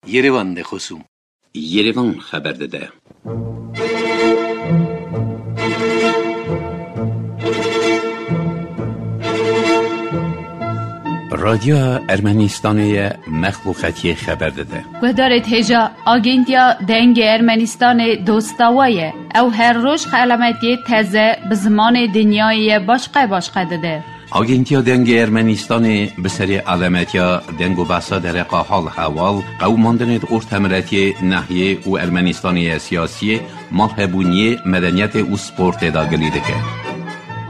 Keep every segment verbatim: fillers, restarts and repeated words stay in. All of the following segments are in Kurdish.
Yerevan de xosûm. Yerevan xeber dide. Radyoya Ermenistanê ye, mexluqetiyê xeber dide. Guhdarê hêja, Agentiya Dengê Ermenistanê dosta we ye. Ew her roj xelametiyê teze bi zimanê dinyayê ye başqe başqe dide. Agentiya Dengê Ermenistanê bi serê alemetiya deng û behsa dereqa hal hewal, qewimandinê di ortemiletiyê, nehiyê û Ermenistanê ye siyasiyê, malhebûniyê, medeniyetê û sportê de gilî dike.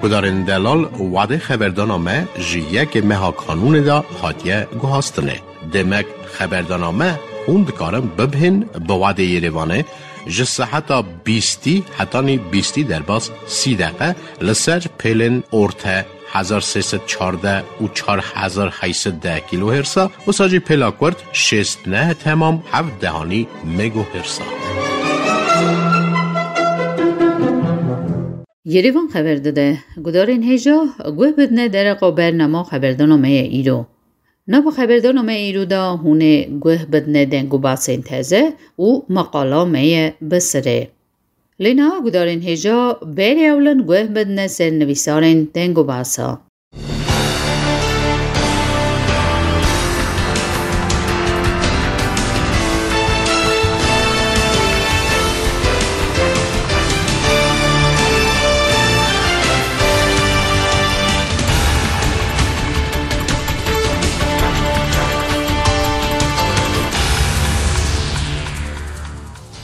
Gudarên delal, wadê xeberdana me ji yekê meha kanûnê de hatiye guhastinê. Demek xeberdana me hûn dikarin bibihên bi wadê Yerevanê ji seheta bîstî hetanî bîstî derbas sî deqe li ser pêlên orte hezar sê sed çardeh û çar hezar heyt sed deh kîlohêrsa, wisa jî pêla kurt şêst neh temam heft dehanî megohêrsa. Yerevan xeber dide, gudarên hêja guh bidine dereqa bernama xeberdana me ye îro. Nava xeberdana me îro de hûn ê guh bidine deng û basên teze û meqala me ye bi sirê. Lê niha gudarên hêja berê ewlin guh bidine ser nivîsarên deng û basa.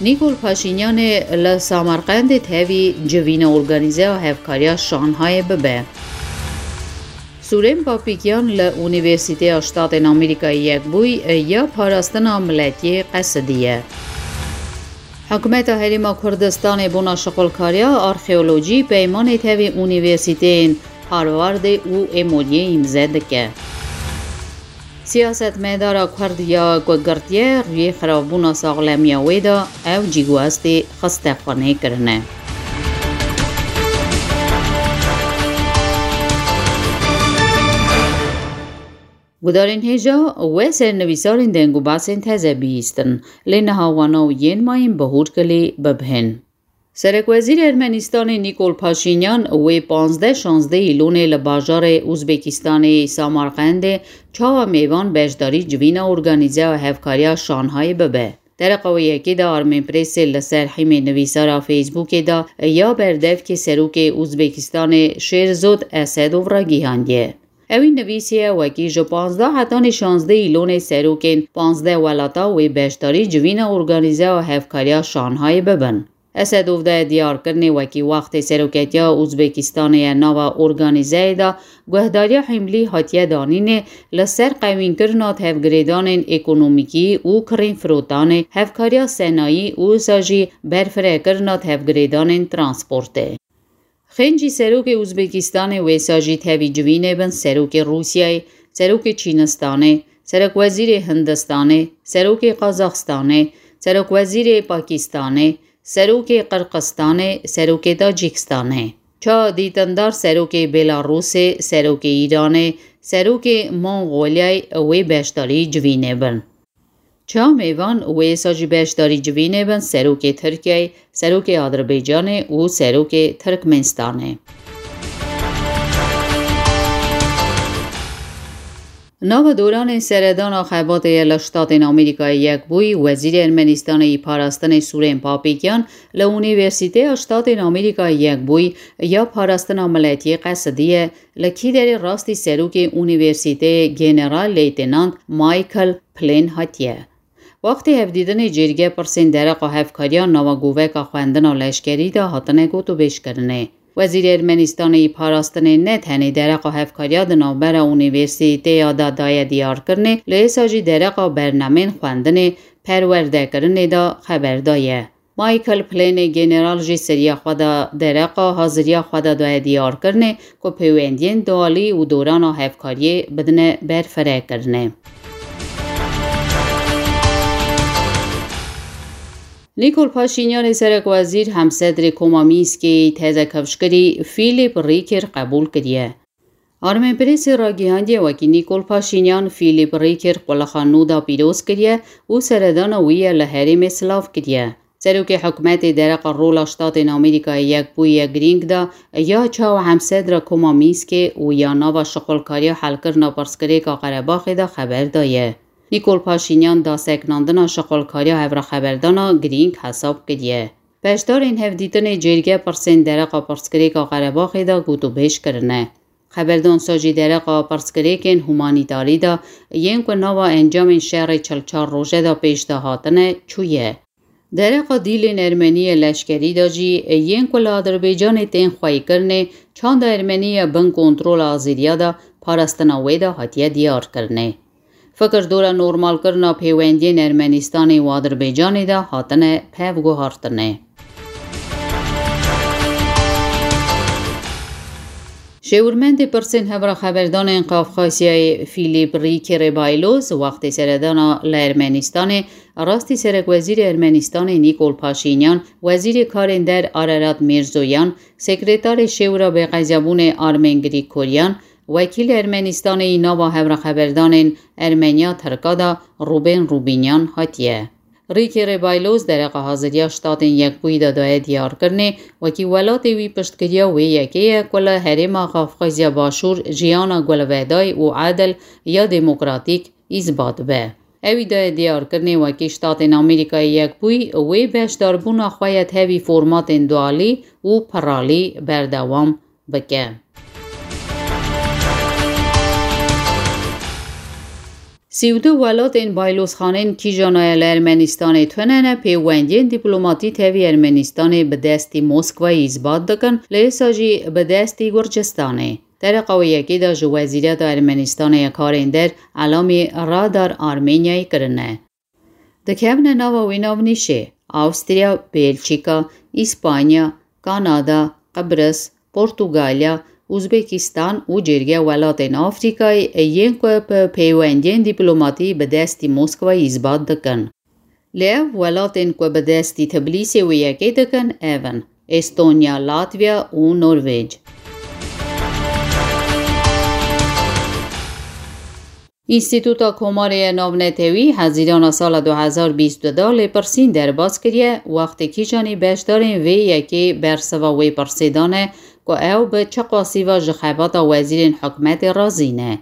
Nîkol Paşînyanê li Samarqendê tevî civîna organîze ya hevkariya Şanhayê bibe. Sûrên Papîkyan li Unîversîteya Ştatên Amerîkayê Yekbûyî ya parastina miletiyê qesidiye. Hikûmeta Herêma Kurdistanê bona şixulkariya arxeolojî peymanê tevî unîversîteyên Harvardê û Emoryê îmze dike. Siyasetmedara Kurd ya ku girtiye rûyê xirabûna saxlemiya wê de ew cîguastê xiste xwenê kirine. Gudarên hêja we ser nivîsarên deng û basên teze bihîstin, lê niha wana û yên mayîn bi hûrkilî bibihên. Serekwezîrê Ermenistanê Nîkol Paşînyan wê panzdeh şanzdeh Îlonê li bajarê Uzbekistanê yê Samarqendê çawa mêvan beşdarî civîna organîze ya hevkariya Şanhayê bibe. Dereqa wê yekê de Armenpressê li ser hîmê nivîsara Facebookê de ya berdevkê serokê Uzbekistanê Şêrzod Esedov ragihandiye. Ewî nivîsiye wekî ji panzdeh hetanî şanzdeh Îlonê serokên panzdeh welata wê beşdarî civîna organîze ya hevkariya Şanhayê bibin. Esedov daye diyarkirinê wekî wextê seroketiya Uzbekistanê ya nava organîzeyê de guhdariya hîmlî hatiye danînê li ser qewînkirina tevgirêdanên ekonomîkî û kirîn firotanê, hevkariya senayî û wisa jî berfirekirina tevgirêdanên transportê. Xêncî serokê Uzbekistanê wêsa jî tevî civînê bin serokê Rûsyayê, serokê Çînistanê, serokwezîrê Hindistanê, serokê Qazaxistanê, serokwezîrê Pakistanê, serokê Qirqistanê, serokê Tacîkistanê. Ça dîtindar serokê Belarûsê, serokê Îranê, serokê Mongolyayê wê beşdarî civînê bin. Çawa mêvan wê êsa jî beşdarî civînê bin serokê Tirkiyeyê, serokê Adirbaycanê û serokê Tirkmenistanê. Nava doranên seredana xebatê ye li Ştatên Amerîkayê Yekbûyî, Wezîrê Ermenistanê yî parastinê Sûrên Papîkyan li Unîversîteya Ştatên Amerîkayê Yekbûyî ya parastina miletiyê qesidiye, li kîderê rastî serokê Unîversîteyê General Leytenant Michael Plin hatiye. Wextê hevdîtinê cêrge pirsên dereqa hevkariya nava goveka xwendina leşkerî de hatine gotûbêjkirinê. Wezîrê Ermenistanê yî parastinê ne tenê dereqa hevkariya di navbera unîversîteya de daye diyarkirinê, lê êsa jî dereqa bernamên xwendinê, perwerdekirinê de xeber daye. Michael Plênê General jî seriya xwe de dereqa haziriya xwe de daye diyarkirinê ku pêwendiyên dualî û dorana hevkariyê bidine berfirekirinê. Nîkol Paşînyanê serekwezîr hemsedrê Koma Mînskê yî teze kifşkirî Fîlîp Rîkir qebûl kiriye. Armenprêsê ragihandiye wekî Nîkol Paşînyan Fîlîp Rîkir qulixa nû da pîroz kiriye û seredana wî ye li herêmê silav kiriye. Serokê hikûmetê dereqa rola Ştatên Amerîkayê Yekbûyî ye girîng da ya çawa hemsedra Koma Mînskê û ya nava şixulkariya helkirina pirsgirêka Qerebaxê de xeber daye. Nîkol Paşînyan da sekinandina şixulkariya hevrêxeberdana girîng hesab kiriye. Beşdarên hevdîtinê cêrge pirsên dereqa pirsgirêka Qerebaxê de gotûbêj kirine. Xeberdansa jî dereqa pirsgirêkên humanîtarî de yên ku nava encamên şerê çil çar roje de pêş de hatine çûye. Dereqa dîlên ermenî yê leşkerî de jî yên ku li Adirbaycanê tên xweykirinê çanda ermenî ye bin kontrola Azeriya de parastina wê de hatiye diyarkirinê. Fikir dora normalkirina pêwendiyên Ermenîstanê û Adirbaycanê de hatine pevguhartinê. Şêwirmendê pirsên hevrêxeberdanên Qafqasyayê Fîlîp Rîkê Rêbayloz wextê seredana li Ermenîstanê rastî serekwezîrê Ermenîstanê Nîkol Paşînyan, wezîrê karên der Ararat Mîrzoyan, sekretarê şêwira bêqezabûnê Armen Grîkoryan, wekîlê Ermenîstanê yî nava hevrêxeberdanên Ermeniya Tirka de Rûbên Rûbînyan hatiye. Rîkê Rêbayloz dereqa haziriya Ştatên Yekbûyî de daye diyarkirinê, wekî welatê wî piştgiriya wê yekê ye ku li herêma Qafqazya Başûr jiyana gulveday û edil ya demokratîk îsbat be. Ewî daye diyarkirinê wekî Ştatên Amerîkayê Yekbûyî wê beşdarbûna xwe ye tevî formatên dualî û piralî berdewam bike. Sî û du welatên baylozxanên kîjana ye li Ermenîstanê tune ne pêwendiyên dîplomatî tevî Ermenîstanê bi destî Moskwayê îsbat dikin, li êsa jî bi destî Gurcistanê. Dereqa wê yekê de ji Wezîreta Ermenîstanê ya Karên Der elamî Radar Armenyayê kirine. Dikevine nava wê navnîşê Awstriya, Belçîka, Îspanya, Kanada, Qibris, Portugalya, Uzbekistan û cêrge welatên Afrîkayê yên ku bi peywendiyên dîplomatî bi destî Moskwayê îsbat dikin. Lê ev welatên ku bi destî Tiblîsê wê yekê dikin ev in: Estonya, Latviya û Norvêc. Înstîtuta Komarê ya Navnetewî Hezîrana sala du hezar bîst û du de lêpirsîn derbas kiriye, wextê kîjanî beşdarên vê yekê bersiva wê pirsê dane ku ew bi çi qasî ve ji xebata wezîrên hikûmetê razî ne.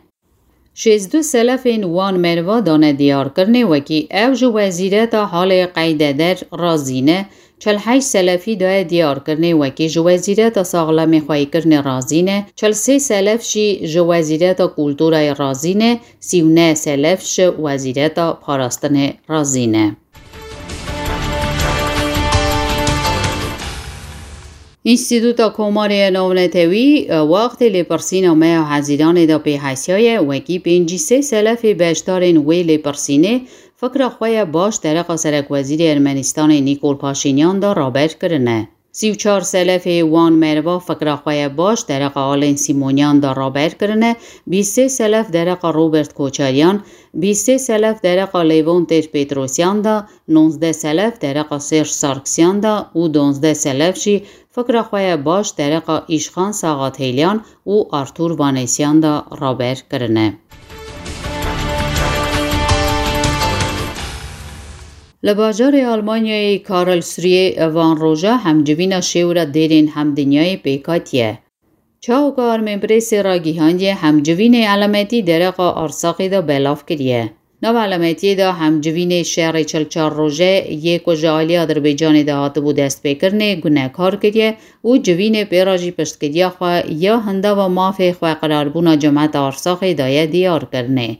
Şêzdû selefên wan merva dane diyarkirinê wekî ew ji wezîreta halê qeydeder razî ne, çil heşt selefî daye diyarkirinê wekî ji wezîreta saxlemê xweykirinê razî ne, çil sê selef jî ji wezîreta kulturayê razî ne, sî û neh selef ji wezîreta parastinê razî ne. Înstîtuta Komarê ya Navnetewî, wextê lêpirsîna me ya Hezîranê de pê hesiyaye, wekî pêncî sê selefê beşdarên wê lêpirsînê fikra xwe ya baş dereqa serekwezîrê Ermenîstanê Nîkol Paşînyan de raber kirine. Sî û çar selefê wan merva fikra xwe ya baş dereqa Alên Sîmonyan de raber kirine, bîst sê selef dereqa Robert Koçaryan, bîst sê selef dereqa Lêvon Têr Petrosyan de, nonzdeh selef dereqa Serj Sarkisyan de û donzdeh selef jî fikra xwe ya baş dereqa Îşxan Saxatêlyan û Artur Vanesyan de raber kirine. Li bajarê Almanyayê Karlsruhe van roja hemcivîna şêwira dêrên hemdinyayê pêk hatiye. Çawa ku Armenprêsê ragihandiye, hemcivînê elametî dereqa Arsaxê de belav kiriye. Nav elametiyê de hemcivînê şerê çil çar roje yê ku ji alî Adirbaycanê de hatibû destpêkirinê gunekar kiriye û civînê pê re jî piştgiriya xwe ya hindava mafê xweqirarbûna cemeta Arsaxê daye diyarkirinê.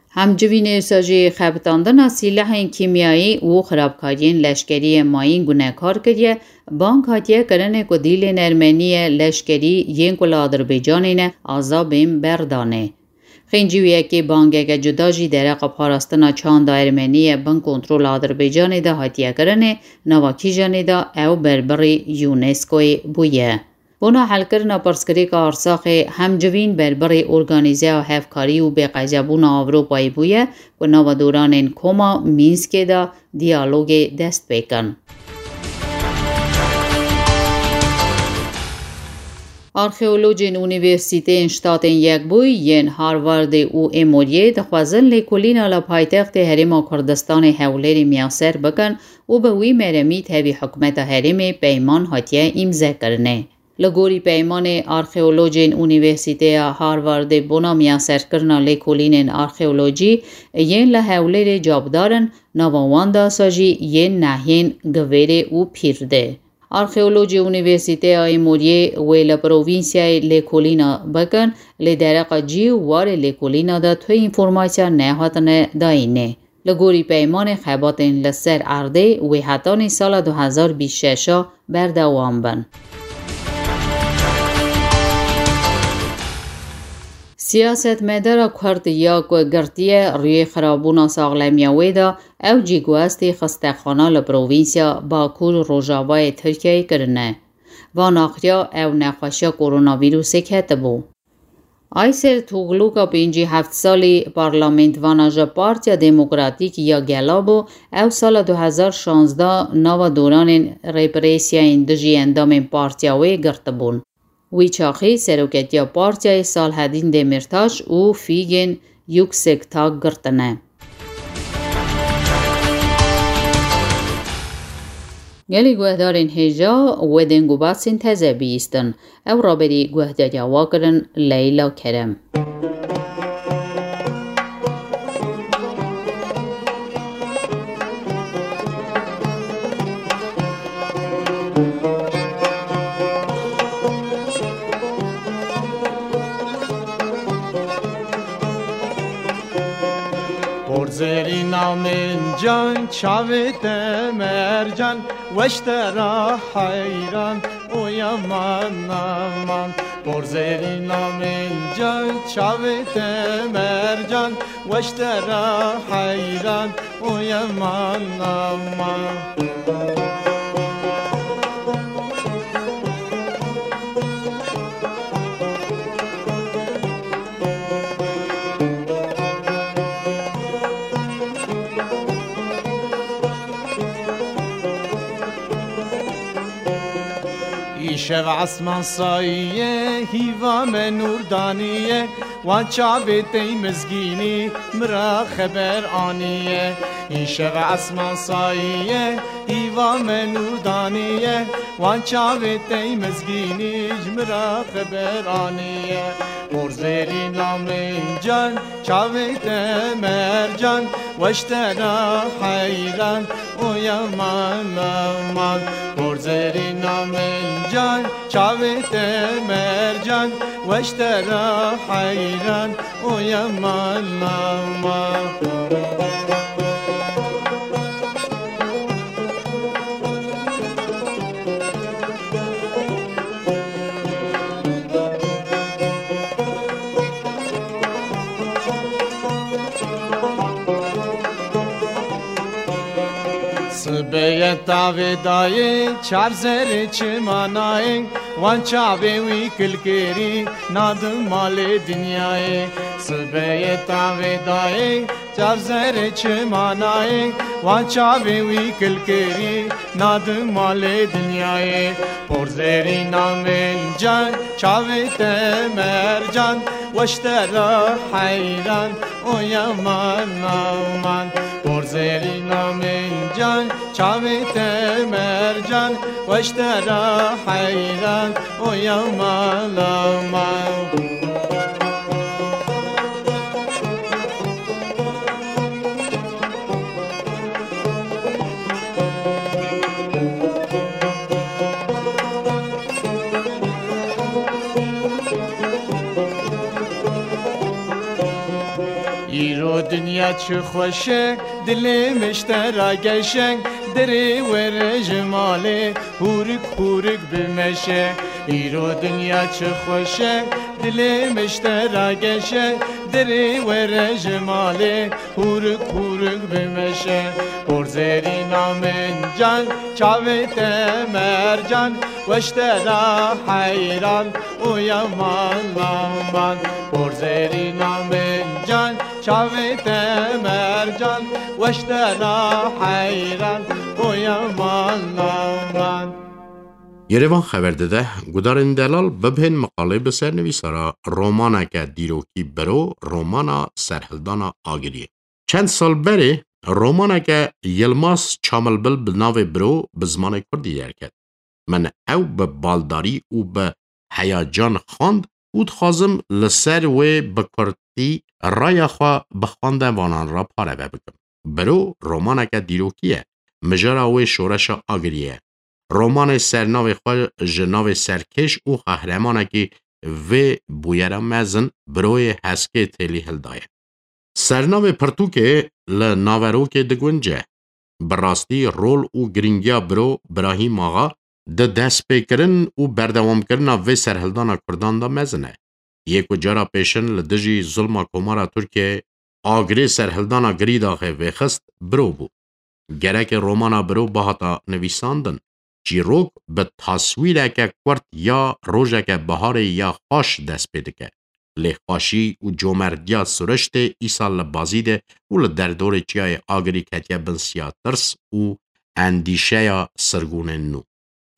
Hemcivînê wisa jî xebitandina sîlehên kîmyayî û xirabkariyên leşkerî yê mayîn gunekar kiriye, bang hatiye kirinê ku dîlên ermenî yê leşkerî yên ku li Adirbaycanê ne aza bên berdanê. Xêncî wê yekê bangeke cuda jî dereqa parastina çanda ermenî yê bin kontrola Adirbaycanê de hatiye kirinê, nava kîjanê de ew berbirî UNESCOyê bûye. Bona helkirina pirsgirêka Arsaxê hemcivîn berbirî Organîzeya Hevkarî û Bêqezebûna Ewropayê bûye ku nava doranên Koma Mînskê de diyalogê dest pê kin. Arxeolojên Unîversîteyên Ştatên Yekbûyî yên Harvardê û Emoryê dixwazin lêkolîna li paytextê Herêma Kurdistanê Hewlêrê miyaser bikin û bi wî meremî tevî hikûmeta herêmê peyman hatiye îmzekirinê. Li gorî peymanê arxeolojên Unîversîteya Harvardê bona miyaserkirina lêkolînên arxeolojî yên li Hewlêrê cavdar in, nava wan de sa jî yên nahiyên Givêrê û Pîrdê. Arxeolojê Unîversîteya Emoryê wê li provînsiyayê lêkolîna bikin, lê dereqa cî û warê lêkolîna de tu înformasya nehatine dayînê. Li gorî peymanê xebatên li ser erdê wê hetanî sala du hezar bîst şeş a berdewam bin. Siyasetmedara Kurd ya ku girtiye rûyê xirabûna saxlemiya wê de, ew cî guhestî xistexana li provînsya Bakur Rojavayê Tirkiyeyê kirine. Van axiriya ew nexweşiya koronavîrusê ketibû. Ayser Tugluka pêncî heft salî parlamentvana ji Partiya Demokratîk ya Gela bû, ew sala du hezar şazdeh nava doranên represiyayên dijî endamên partiya wê girtibûn. Wî çaxî seroketiya partiyayê Salhedîn Demîrtaş û Fîgên Yuksektak girtine. Gelî guhdarên hêja, we deng û basên teze bihîstin. Ew raberî guhdariya we kirin Leyla Kerem. Porzerîna min can, çavê te mercan, weş te ra heyran û yaman aman. Porzerîna min can, çavê te mercan, weş te ra heyran û yaman aman. Îşev esman sayiye, hîva me nûr daniye, wan çavê tey mizgînî mi ra xeber aniye. Îşev esman sayiye, hîva me nûr daniye, wan çavê tey mizgînî ji mi ra xeber aniye. Porzerîna min can, çavê te mercan, weş te ra heyran û yaman aman. Porzerîna min can, çavê te mercan, weş te ra heyran û yaman aman. Sibeye tavê dayê, çar zerê çimanayê, wan çavê wî kilkirî, nadim malê dinyayê. Sibeye tavê dayê, çar zerê çimanayê, wan çavê wî kilkirî, nadim malê dinyayê. Porzerîna min can, çavê te mercan, weş te ra heyran û yaman aman. Porzerîna min can, çavê te mercan, weş te ra heyran û yaman aman. Îro dinya çi xweş e, dilê min ji te ra geş e, derê were ji malê, hûrik hûrik bimeşe. Îro dinya çi xweş e, dilê min ji te ra geş e, derê were ji malê, hûrik hûrik bimeşe. Porzerîna min can, çavê te mercan, weş te ra heyran û yaman aman. Porzerîna min can, çavê te mercan, weş te ra heyran û yaman aman. Yerevan xeber dide, gudarên delal bibhên miqalê bi ser nivîsara romaneke dîrokî biro, romana Serhildana Agiriyê. Çend sal berê romaneke Yilmaz Çamilbil bi navê Biro bi zimanê kurdî derket. Min ew bi baldarî û bi heyacan xwend û dixwazim li ser wê bi kurtî raya xwe bi xwendevanan re pareve bikim. Biro romaneke dîrokî ye. Mijara wê şoreşa Agiriyê ye. Romanê ser navê xwe ji navê serkêş û qehremanekî vê bûyera mezin, Biroyê Heskê Têlî hildaye. Sernavê pirtûkê li naverokê digunce. Bi rastî rol û girîngiya Biro Birahîm Axa di destpêkirin û berdewamkirina vê serhildana Kurdan de mezin e. Yê ku cara pêşin li dijî zulma Komara Tirkiyeyê agirê serhildana Girîdaxê vêxist, Biro bû. Gereke romana Biro bihata nivîsandin, çîrok bi taswîreke kurt ya rojeke biharê ya xweş dest pê dike. Lê xweşî û comerdiya siriştê îsal li Bazîdê û li derdorê çiyayê Agirî ketiye bin siya tirs û endîşeya sirgûnên nû.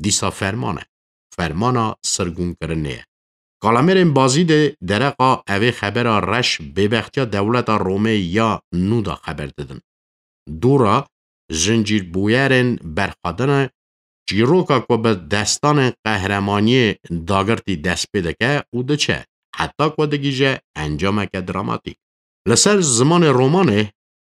Dîsa ferman e. Fermana sirgûnkirinê ye. Kalemêrên Bazîdê dereqa evê xebera reş bêbextiya dewleta Romê ya nû de xeber didin. Dûra zincîrbûyerên berxwedine çîroka ku bi destanên qehremaniyê dagirtî dest pê dike û diçe, heta ku digihîje encameke dramatîk. Li ser zimanê romanê,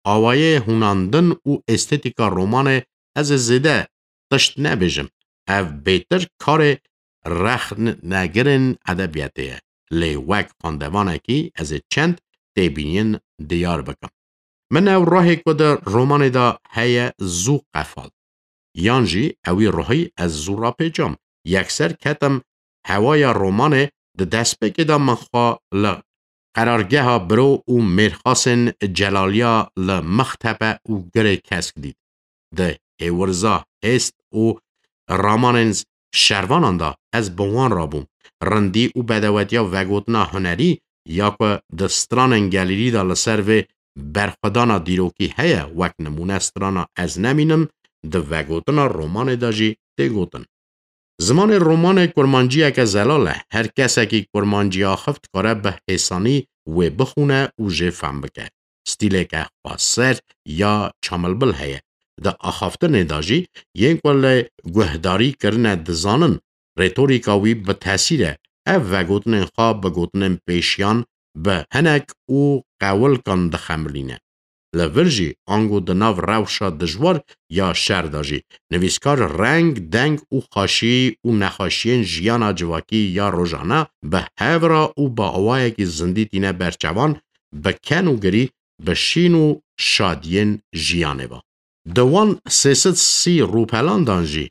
awayê hûnandin û estetîka romanê ez ê zêde tişt nebêjim. Ev bêtir karê rexnegirên edebiyatê ye. Lê wek xwendevanekî ez ê çend têbîniyên diyar bikim. Min ew ruhê ku di romanê de heye zû qefal. Yan jî ewî ruhî ez zû rapêçam. Yekser ketim hewaya romanê, di destpêkê de min xwe li qerargeha Biro û Mêrxasên Celaliya li Mixtepe û Girê Kesk dît. Di hêwirza hêst û ramanên şervanan de ez bi wan re bûm. Rindî û bedewetiya vegotina hunerî ya ku di stranên gelêrî de li ser vê berxwedana dîrokî heye, wek nimûne strana Ez Nemînim, di vegotina romanê de jî tê gotin. Zimanê romanê kurmanciyeke zelal e. Her kesekî kurmancî axif dikare bi hêsanî wê bixwîne û jê fehm bike. Stîleke xweser ya Çamilbil heye. Di axaftinê de jî yên ku li guhdarî kirine dizanin, retorîka wî bi tesîr e. Ev vegotinên xwe bi gotinên pêşiyan, bi hinek û qewilkan dixemilîne. Li vir jî, ango di nav rewşa dijwar ya şer de jî, nivîskar reng, deng û xweşî û nexweşiyên jiyana civakî ya rojane bi hev re û bi awayekî zindî tîne ber çavan, bi ken û girî, bi şîn û şadiyên jiyanê ve. Di wan sê sed sî rûpelan dan jî,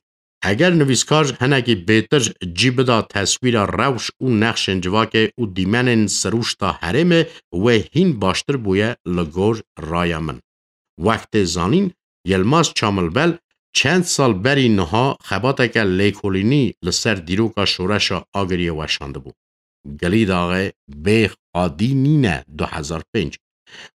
eger nivîskar hinekî bêtir cî bida teswîra rewş û nexşên civakê û dîmenên sirûşta herêmê, wê hîn baştir bûye li gor raya min. Wek tê zanîn, Yilmaz Çamilbel çend sal berî niha xebateke lêkolînî li ser dîroka şoreşa Agiriyê weşandibû. Gilîdaxê bê xwedî nîne du hezar pênc.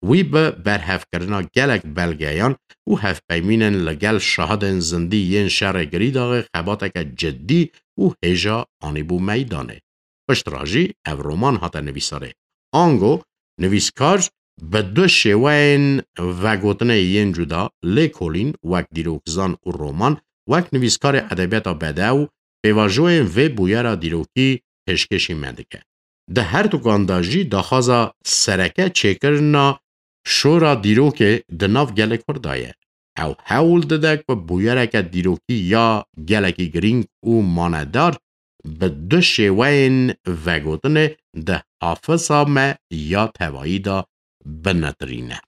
Wî bi berhevkirina gelek belgeyan û hevpeymînên li gel şahidên zindî yên şerê Girîdaxê xebateke cidî û hêja anîbû meydanê. Piştre jî ev roman hate nivîsarê. Ango nivîskar bi du şêweyên vegotinê yên cuda, lêkolîn wek dîrokzan û roman wek nivîskarê edebiyata bedew, pêvajoyên vê bûyera dîrokî pêşkêşî me dike. Di herdukan de jî daxwaza sereke çêkirina şora dîrokê di nav gelê Kurd de ye. Ew hewl dide ku bûyereke dîrokî ya gelekî girîng û manedar bi du şêweyên vegotinê di hafiza me ya tevayî de binetirîne.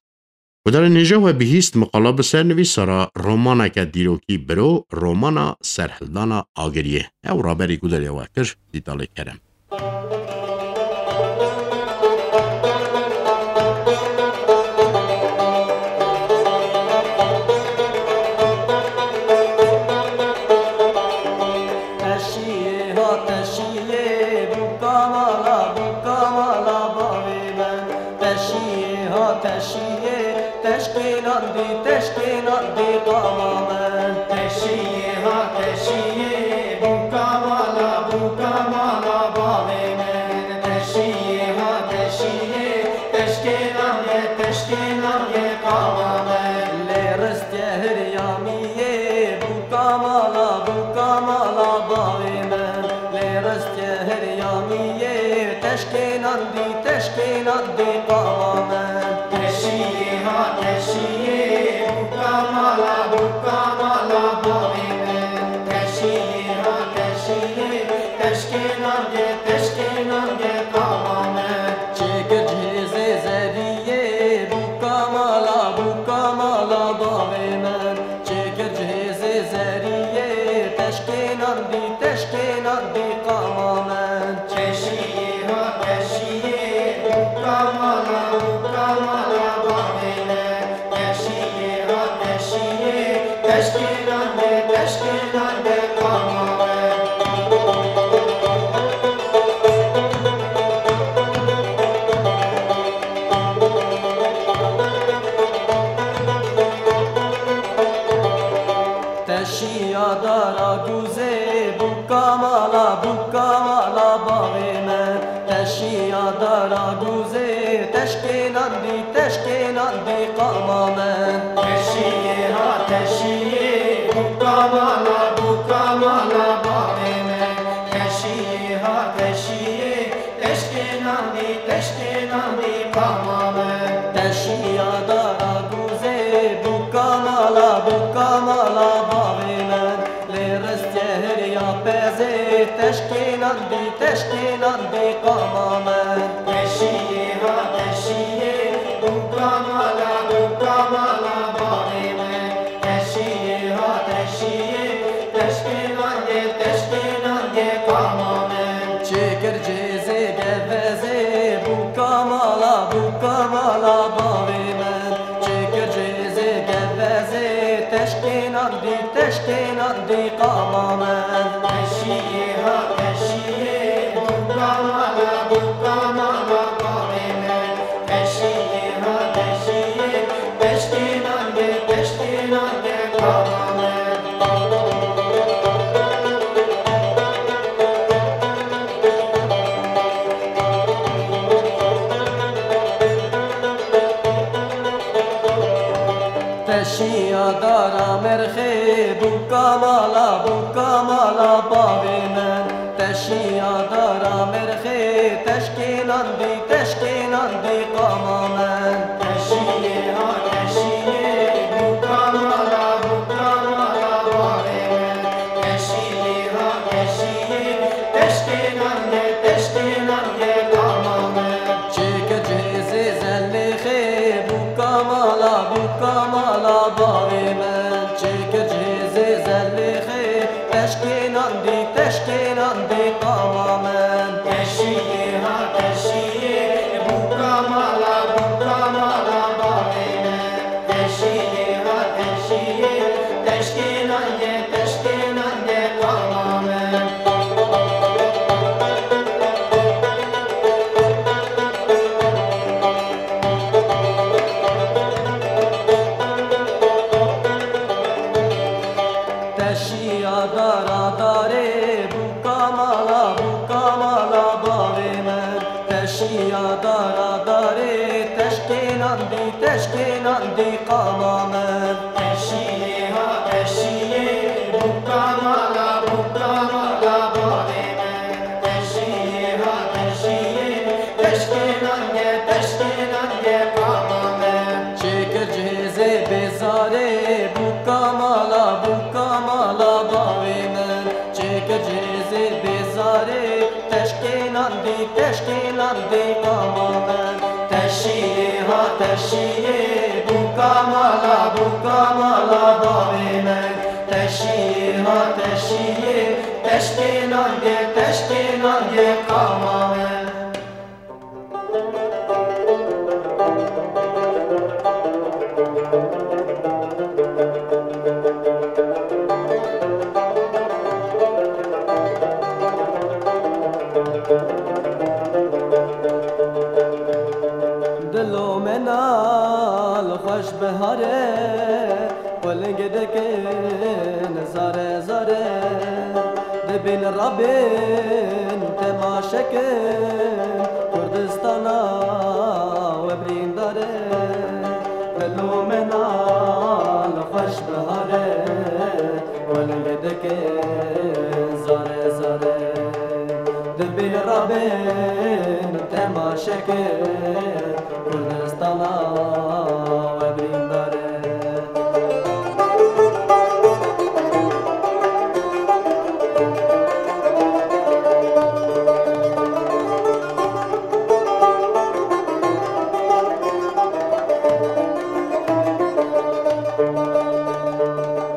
Gudarên hêja we bihîst miqala bi ser nivîsara romaneke dîrokî biro, romana Serhildana Agiriyê. Ew raberî gudariya we kir, Dîtalê Kerem. Teşiyê ha teşiyê, bûka mala, bûka mala bavê me. Teşiyê ha teşiyê, teşkê nandî, teşkê nandî qama me. Teşiyê ha teşiyê, bûka Mala bavê min, teşiyê ha teşiyê, teşkênan ye, teşkênan ye qama min. Lê ristye hiryamiyê, bûka mala, bûka mala bavê min. Lê ristye hiryamiyê, teşkênan dî, teşkênan dî qama min. Teşiyê ha teşiyê, bûka mala, bûka mala bavê min. Teşiyê ha teşiyê, teşkênan ye, teşkênan ye qama min. Çêkir cihêzê zeriyê, bûka mala, bûka mala bavê min. Çêkir cihêzê zeriyê, teşkênan dî, teşkênan dî qama min. Teşiyê ha teşiyê, bûka mala, bûka mala bavê min. Teşiyê ha teşiyê, teşkênan de, teşkênan de qama min. Teşiya dara guzê, bûka mala, bûka mala bavê min. Teşiya dara guzê, teşkênan dî, teşkênan dî qama min. Teşiyê ha teşiyê, bûka mala, bûka mala bavê min. Teşiyê ha teşiyê, teşkênan dî, teşkênan dî qama min. Teşiya dara guzê, bûka mala, bûka mala bavê min. Lê ristye hiriya pezê, teşkênan dî, teşkênan dî qama min. Teşiyê ha teşiyê, bûka mala, bûka mala bavê min. Teşiyê ha teşiyê, teşkênan ye, teşkênan ye qama min. Çêkir cihêzê gevezê, bûka mala, bûka mala bavê min. Çêkir cihêzê gevezê, teşkênan dî, teşkênan dî qama min. Teşiyê ha teşiyê, bûka mala, bûka mala bavê min. Teşiyê ha teşiyê, teşkênan de, teşkênan de qama min. Teşiya dara merxê, bûka mala, bûka mala bavê min. Teşiya dara merxê, teşkênan dî, teşkênan dî qama min. Teşiyê ha teşiyê, bûka mala, bûka mala bavê min. Teşiyê ha teşiyê, teşkênan ye, teşkênan ye qama min. Çêkir cihêzê zellêxê, bûka mala, bûka mala bavê min. Çêkir cihêzê zellêxê, teşkênan dî, teşkênan dî qama min. Teşiyê ha teşiyê, bûka mala, bûka mala bavê min. Teşiyê ha teşiyê, teşkênan ye, teşkênan ye qama min. Teşiya dara darê, bûka mala, bûka mala bavê min. Teşiya dara darê, teşkênan dî, teşkênan dî qama min. Teşiyê ha teşiyê, bûka mala, bûka mala bavê min. Teşiyê ha teşiyê, teşkênan ye, teşkênan ye qama min. Çêkir cihêzê bêzarê, bûka mala, bûka mala bavê min. Çêkir cihêzê bêzarê, teşkênan dî, teşkênan dî qama min. Teşiyê ha teşiyê, bûka mala, bûka mala bavê min. Teşiyê ha teşiyê, teşkênan dê, teşkênan dê qama min. Dilo mena li xweş bihar e, quling dikin zare zare. Bin rabin temaşe kin Kurdistana we birîndar e. Dilo me nal xweş bihar e, weleng dike zare zare. Dibin rabin temaşe kin Kurdistana we birîndar e.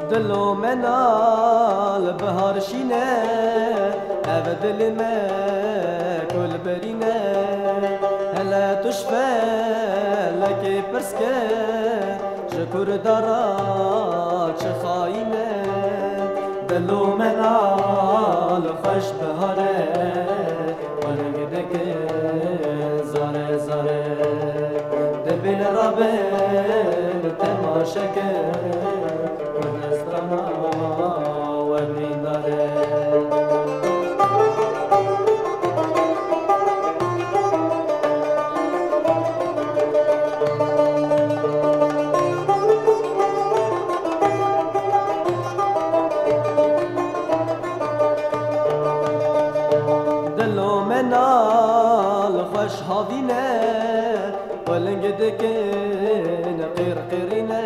Dilo me nal bihar şîne, ev dilê me kul birîne. Hele tu ji felekê pirs ke, ji Kurda ra çi xayîn e? Dilo me nal xweş bihar e, weleng dike zare zare. Dibin rabin temaşe kin Kurdistana we birîndar e. Dilo me nal xweş havîne, weleng dikin qîr qîrîne.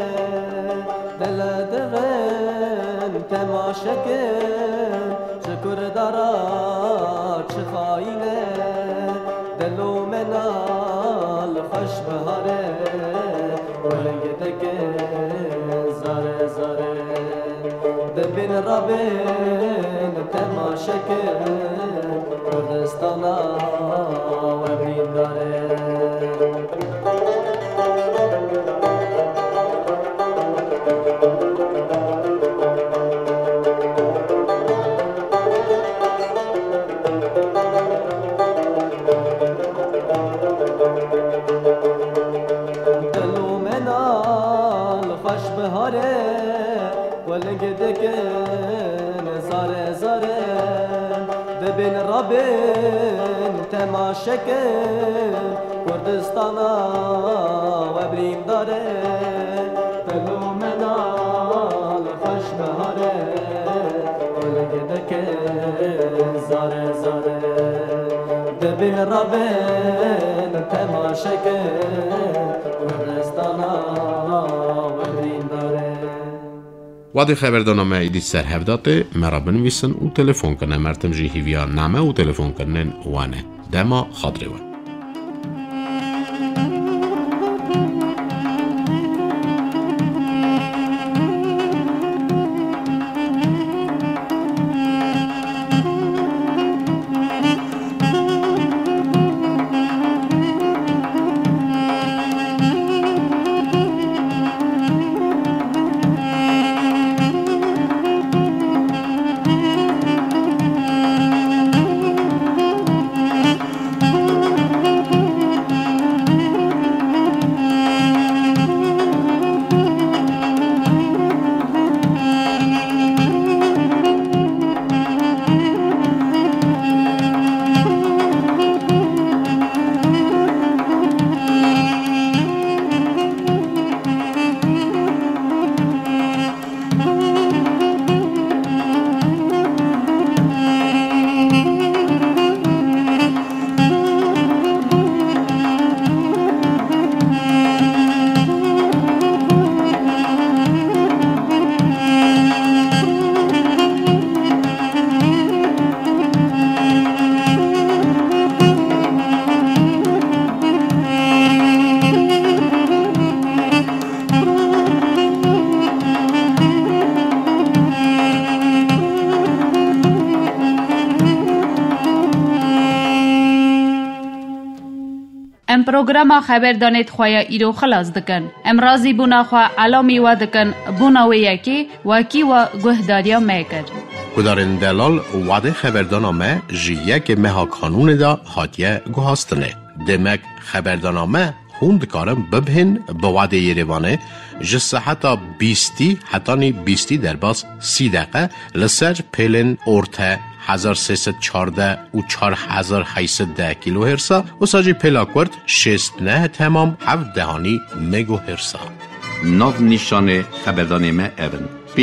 Dile divin temaşe kin, ji Kurda ra çi xayîn e. Dilo me nal xweş bihar e, weleng dike zare zare. Dibin rabin temaşe kin Kurdistana we birîndar e. Dilo me nal xweş bihar e, weleng dikin zare zare. Dibin rabin temaşe kin Kurdistana we birîndar e. Dilo me nal xweş bihar e, weleng dike zare zare. Dibin rabin temaşe kin Kurdistana we birîndar e. Wadê xeberdana me êdî ser hev da tê, me re binivîsin û telefon kin. Em her tim jî hîviya name û telefonkirinên wan e. Dema xatirê we. Em programa xeberdanê di xwe ya îro xilas dikin. Em razîbûna xwe elamî we dikin, bûna wê yekê wekî we guhdariya me kir. Guhdarên delal, wadê xeberdana me ji yekê meha Kanûnê de hatiye guhastinê. Demek xeberdana me hûn dikarin bibihên bi wadê Yerêvanê ji seheta bîstî hetanî bîstî derbas sî deqe li ser pêlên orte hezar sê sed çardeh û çar hezar heyt sed deh kilohersa, wisa jî pêla kurt şêst neh temam heft dehanî megohersa. Nav nîşanê xeberdanê me ev in: P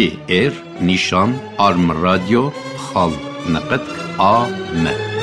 R nîşan arm radio xal neqet A M.